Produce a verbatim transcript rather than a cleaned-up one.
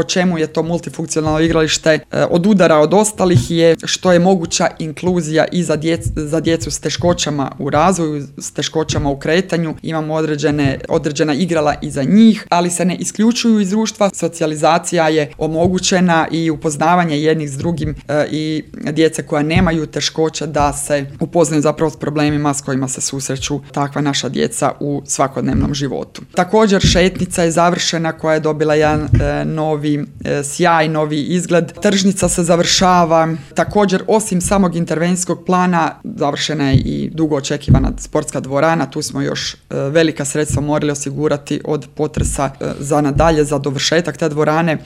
po čemu je to multifunkcionalno igralište odudara od ostalih je što je moguća inkluzija i za, djec, za djecu s teškoćama u razvoju, s teškoćama u kretanju. Imamo određene, određena igrala i za njih, ali se ne isključuju iz društva. Socijalizacija je omogućena i upoznavanje jednih s drugim e, i djece koja nemaju teškoća da se upoznaju zapravo s problemima s kojima se susreću takva naša djeca u svakodnevnom životu. Također šetnica je završena koja je dobila jedan e, novi e, sjaj, novi izgled. Tržnica se završava. Također osim samog intervencijskog plana završena je i dugo očekivana sportska dvorana. Tu smo još e, velika sredstva morali osigurati od potresa e, za nadalje, za dovršetak te dvorane.